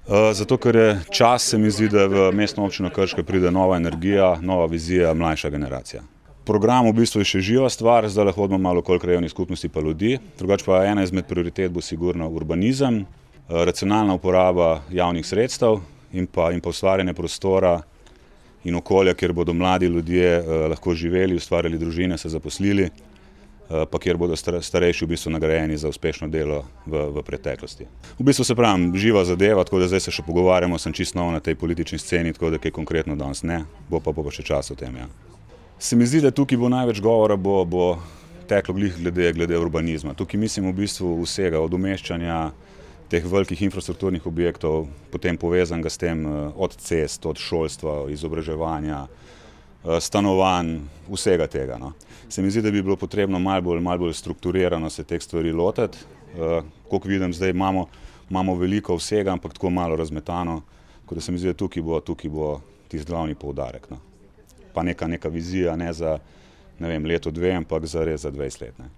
Zato, ker je čas, se mi zdi, da v mestno občino Krško pride nova energija, nova vizija, mlajša generacija. Program v bistvu je še živa stvar, zdaj lahko hodimo malo okoli krajevnih skupnosti pa ljudi. Drugače pa ena izmed prioritet bo sigurno urbanizem, racionalna uporaba javnih sredstev in pa ustvarjanje prostora in okolja, kjer bodo mladi ljudje lahko živeli, ustvarjali družine, se zaposlili, pa kjer bodo starejši v bistvu nagrajeni za uspešno delo v preteklosti. V bistvu se pravim, živa zadeva, tako da zdaj se še pogovarjamo, sem čisto nov na tej politični sceni, tako da kaj konkretno danes ne, bo pa še čas o tem, ja. Se mi zdi, da tukaj bo največ govora bo teklo glede urbanizma. Tukaj mislim v bistvu vsega, od umeščanja teh velikih infrastrukturnih objektov, potem povezanega s tem od cest, od šolstva, izobraževanja, stanovanj, vsega tega, no. Se mi zdi, da bi bilo potrebno malo bolj strukturirano se teh stvari lotiti. Koliko vidim, zdaj imamo veliko vsega, ampak tako malo razmetano, tako da se mi zdi, da tukaj bo tisti glavni poudarek, no. Pa neka vizija, ne za, ne vem, leto, dve, ampak za res za 20 let, ne.